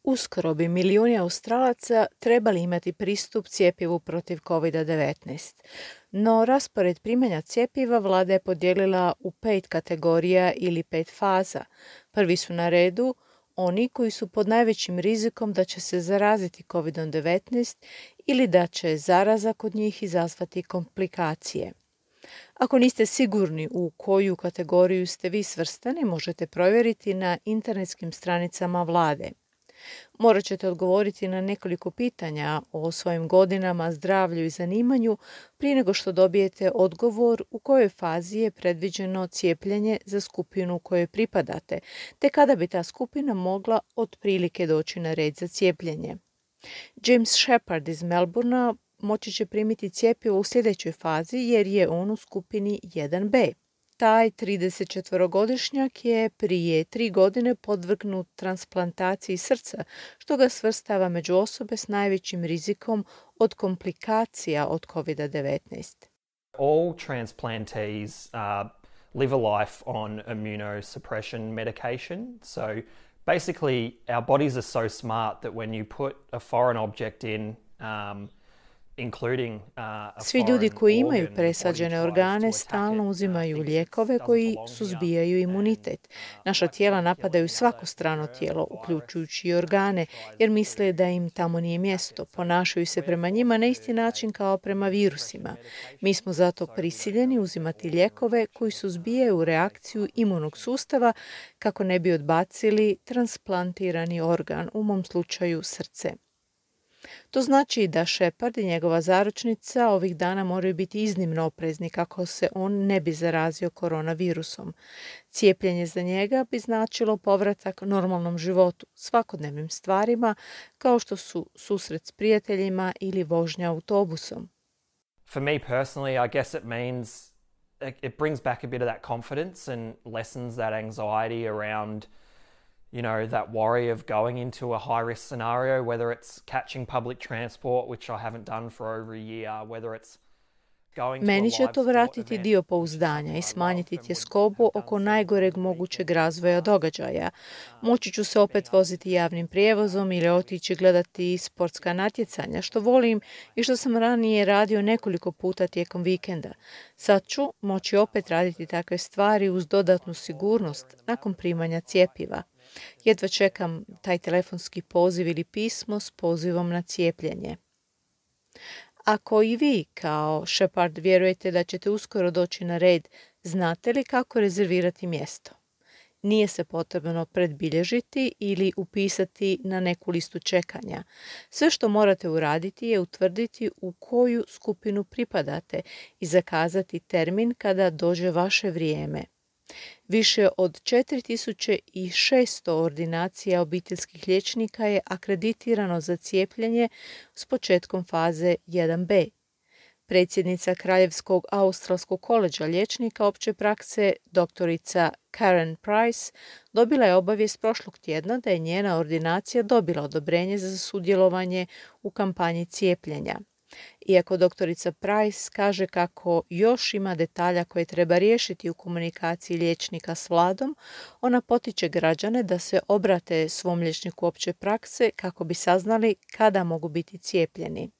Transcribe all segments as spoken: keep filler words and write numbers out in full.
Uskoro bi milijuni Australaca trebali imati pristup cjepivu protiv covid devetnaest. No raspored primanja cjepiva vlada je podijelila u pet kategorija ili pet faza. Prvi su na redu oni koji su pod najvećim rizikom da će se zaraziti covid devetnaest ili da će zaraza kod njih izazvati komplikacije. Ako niste sigurni u koju kategoriju ste vi svrstani, možete provjeriti na internetskim stranicama vlade. Morat ćete odgovoriti na nekoliko pitanja o svojim godinama, zdravlju i zanimanju prije nego što dobijete odgovor u kojoj fazi je predviđeno cijepljenje za skupinu kojoj pripadate, te kada bi ta skupina mogla otprilike doći na red za cijepljenje. James Shepard iz Melbournea moći će primiti cjepivo u sljedećoj fazi jer je on u skupini jedan be. Taj tridesetčetvorogodišnjak je prije tri godine podvrgnut transplantaciji srca, što ga svrstava među osobe s najvećim rizikom od komplikacija od covid devetnaest. All transplantees uh, live a life on immunosuppression medication. So basically our bodies are so smart that when you put a foreign object in um, Svi ljudi koji imaju presađene organe stalno uzimaju lijekove koji suzbijaju imunitet. Naša tijela napadaju svako strano tijelo, uključujući i organe, jer misle da im tamo nije mjesto. Ponašaju se prema njima na isti način kao prema virusima. Mi smo zato prisiljeni uzimati lijekove koji suzbijaju reakciju imunog sustava kako ne bi odbacili transplantirani organ, u mom slučaju srce. To znači da Shepard i njegova zaručnica ovih dana moraju biti iznimno oprezni kako se on ne bi zarazio koronavirusom. Cijepljenje za njega bi značilo povratak normalnom životu, svakodnevnim stvarima kao što su susret s prijateljima ili vožnja autobusom. For me personally, I guess it means it brings back a bit of that confidence and lessens that anxiety around you know, that worry of going into a high-risk scenario, whether it's catching public transport, which I haven't done for over a year, whether it's going to a Meni live će to sport vratiti event, dio which is pouzdanja something i I smanjiti love and would tjeskobu have done oko similar najgoreg for mogućeg people. razvoja događaja. Moći ću se opet voziti javnim prijevozom ili otići gledati sportska natjecanja, što volim i što sam ranije radio nekoliko puta tijekom vikenda. Sad ću moći opet raditi takve stvari uz dodatnu sigurnost nakon primanja cjepiva. Jedva čekam taj telefonski poziv ili pismo s pozivom na cijepljenje. Ako i vi, kao Shepard, vjerujete da ćete uskoro doći na red, znate li kako rezervirati mjesto? Nije se potrebno predbilježiti ili upisati na neku listu čekanja. Sve što morate uraditi je utvrditi u koju skupinu pripadate i zakazati termin kada dođe vaše vrijeme. Više od četiri tisuće šesto ordinacija obiteljskih liječnika je akreditirano za cijepljenje s početkom faze jedan be. Predsjednica Kraljevskog australskog koledža liječnika opće prakse, doktorica Karen Price, dobila je obavijest prošlog tjedna da je njena ordinacija dobila odobrenje za sudjelovanje u kampanji cijepljenja. Iako doktorica Price kaže kako još ima detalja koje treba riješiti u komunikaciji liječnika s vladom, ona potiče građane da se obrate svom liječniku opće prakse kako bi saznali kada mogu biti cijepljeni.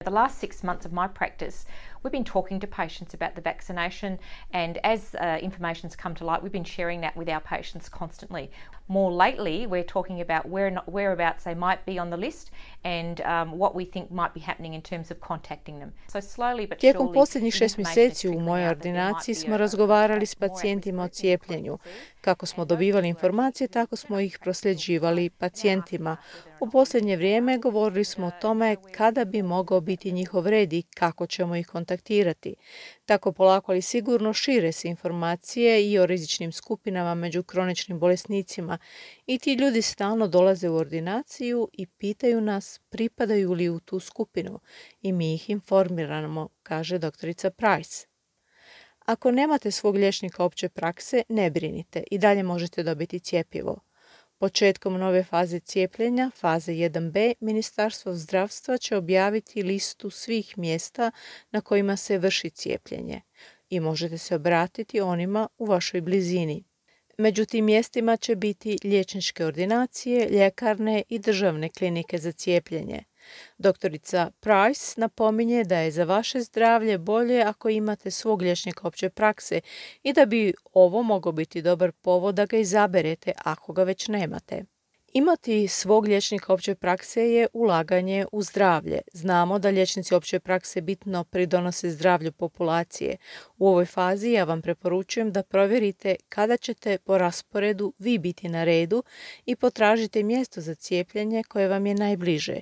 The last six months of my practice, we've been talking to patients about the vaccination, and as uh, information's come to light, we've been sharing that with our patients constantly. More lately, we're talking about where not, whereabouts they might be on the list and um, what we think might be happening in terms of contacting them. So slowly but Tijekom surely, posljednjih the šest information is mjeseci u trickling mojoj out that there might ordinaciji be smo a- razgovarali s more at-risk pacijentima o groups in cijepljenju. conferences. Kako smo And those dobivali people informacije, tako smo ih prosljeđivali pacijentima. U posljednje vrijeme govorili smo o tome kada bi mogao biti njihov red i kako ćemo ih kontaktirati. Tako polako ali sigurno šire se informacije i o rizičnim skupinama među kroničnim bolesnicima i ti ljudi stalno dolaze u ordinaciju i pitaju nas pripadaju li u tu skupinu i mi ih informiramo, kaže doktorica Price. Ako nemate svog liječnika opće prakse, ne brinite, i dalje možete dobiti cjepivo. Početkom nove faze cijepljenja, faze jedan be, Ministarstvo zdravstva će objaviti listu svih mjesta na kojima se vrši cijepljenje i možete se obratiti onima u vašoj blizini. Među tim mjestima će biti liječničke ordinacije, ljekarne i državne klinike za cijepljenje. Doktorica Price napominje da je za vaše zdravlje bolje ako imate svog liječnika opće prakse i da bi ovo mogao biti dobar povod da ga izaberete ako ga već nemate. Imati svog liječnika opće prakse je ulaganje u zdravlje. Znamo da liječnici opće prakse bitno pridonose zdravlju populacije. U ovoj fazi ja vam preporučujem da provjerite kada ćete po rasporedu vi biti na redu i potražite mjesto za cijepljenje koje vam je najbliže.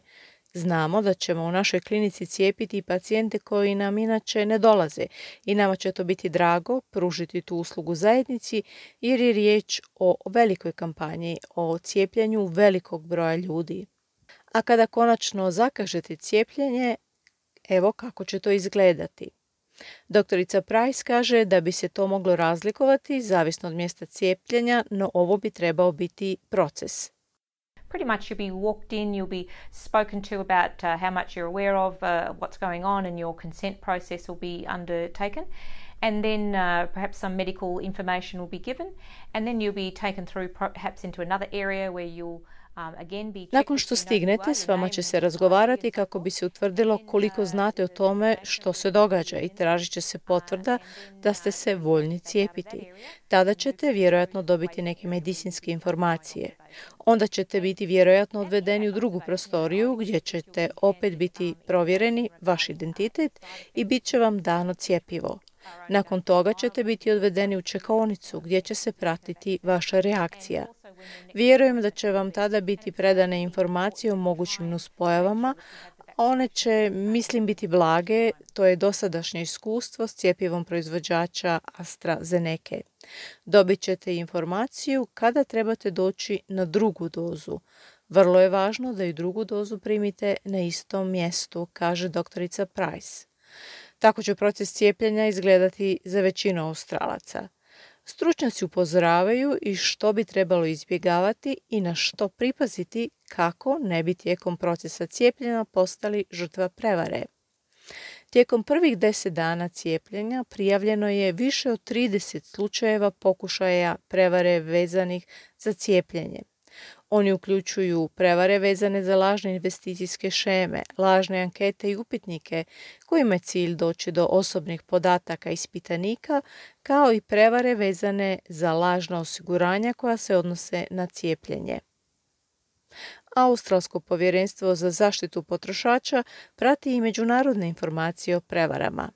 Znamo da ćemo u našoj klinici cijepiti pacijente koji nam inače ne dolaze i nama će to biti drago pružiti tu uslugu zajednici jer je riječ o velikoj kampanji, o cijepljenju velikog broja ljudi. A kada konačno zakažete cijepljenje, evo kako će to izgledati. Doktorica Price kaže da bi se to moglo razlikovati zavisno od mjesta cijepljenja, no ovo bi trebao biti proces. Pretty much you'll be walked in, you'll be spoken to about uh, how much you're aware of, uh, what's going on, and your consent process will be undertaken. And then uh, perhaps some medical information will be given, and then you'll be taken through perhaps into another area where you'll um, again be checked. Nakon što stignete, s vama će se razgovarati kako bi se utvrdilo koliko znate o tome što se događa i tražit će se potvrda da ste se voljni cijepiti. Tada ćete vjerojatno dobiti neke medicinske informacije. Onda ćete biti vjerojatno odvedeni u drugu prostoriju gdje ćete opet biti provjereni vaš identitet i bit će vam dano cjepivo. Nakon toga ćete biti odvedeni u čekaonicu gdje će se pratiti vaša reakcija. Vjerujem da će vam tada biti predane informacije o mogućim nuspojavama, a one će, mislim, biti blage, to je dosadašnje iskustvo s cjepivom proizvođača AstraZeneca. Dobit ćete informaciju kada trebate doći na drugu dozu. Vrlo je važno da i drugu dozu primite na istom mjestu, kaže doktorica Price. Tako će proces cijepljenja izgledati za većinu Australaca. Stručnjaci upozoravaju i što bi trebalo izbjegavati i na što pripaziti kako ne bi tijekom procesa cijepljenja postali žrtva prevare. Tijekom prvih deset dana cijepljenja prijavljeno je više od trideset slučajeva pokušaja prevare vezanih za cijepljenje. Oni uključuju prevare vezane za lažne investicijske šeme, lažne ankete i upitnike kojima je cilj doći do osobnih podataka ispitanika, kao i prevare vezane za lažna osiguranja koja se odnose na cijepljenje. Australsko povjerenstvo za zaštitu potrošača prati i međunarodne informacije o prevarama.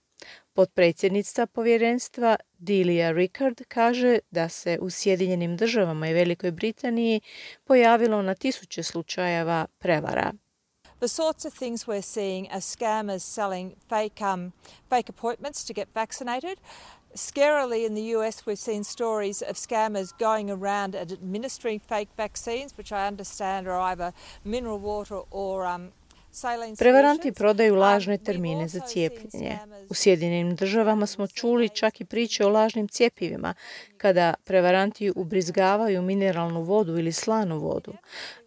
Potpredsjednica povjerenstva Delia Rickard kaže da se u Sjedinjenim državama i Velikoj Britaniji pojavilo na tisuće slučajeva prevara. The sorts of things we're seeing are scammers selling fake, um, fake appointments to get vaccinated. Scarily in the U S we've seen stories of scammers going around and administering fake vaccines, which I understand are either mineral water or um, Prevaranti prodaju lažne termine za cijepljenje. U Sjedinjenim državama smo čuli čak i priče o lažnim cjepivima, kada prevaranti ubrizgavaju mineralnu vodu ili slanu vodu.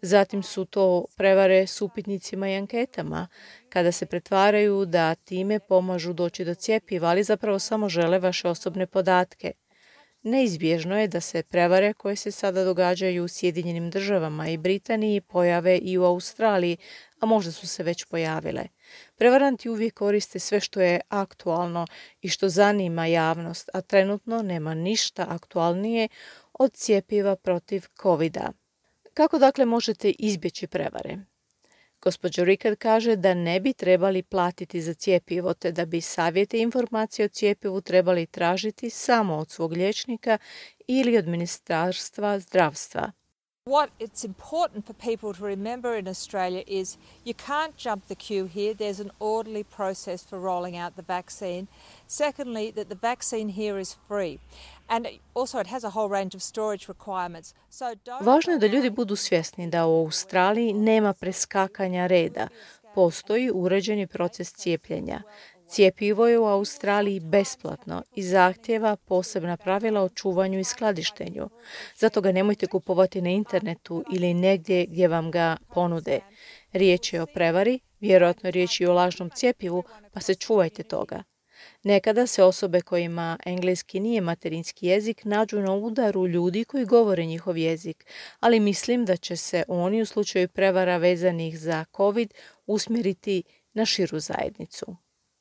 Zatim su to prevare s upitnicima i anketama, kada se pretvaraju da time pomažu doći do cjepiva, ali zapravo samo žele vaše osobne podatke. Neizbježno je da se prevare koje se sada događaju u Sjedinjenim državama i Britaniji pojave i u Australiji, a možda su se već pojavile. Prevaranti uvijek koriste sve što je aktualno i što zanima javnost, a trenutno nema ništa aktualnije od cjepiva protiv kovida. Kako dakle možete izbjeći prevare? Gospođa Rickard kaže da ne bi trebali platiti za cjepivo, te da bi savjete i informacije o cjepivu trebali tražiti samo od svog liječnika ili od Ministarstva zdravstva. What it's important for people to remember in Australia is you can't jump the queue here. There's an orderly process for rolling out the vaccine. Secondly, that the vaccine here is free. And also it has a whole range of storage requirements. So don't... Važno je da ljudi budu svjesni da u Australiji nema preskakanja reda. Postoji uređeni proces cijepljenja. Cjepivo je u Australiji besplatno i zahtjeva posebna pravila o čuvanju i skladištenju. Zato ga nemojte kupovati na internetu ili negdje gdje vam ga ponude. Riječ je o prevari, vjerojatno riječ je o lažnom cjepivu, pa se čuvajte toga. Nekada se osobe kojima engleski nije materinski jezik nađu na udaru ljudi koji govore njihov jezik, ali mislim da će se oni u slučaju prevara vezanih za COVID usmjeriti na širu zajednicu.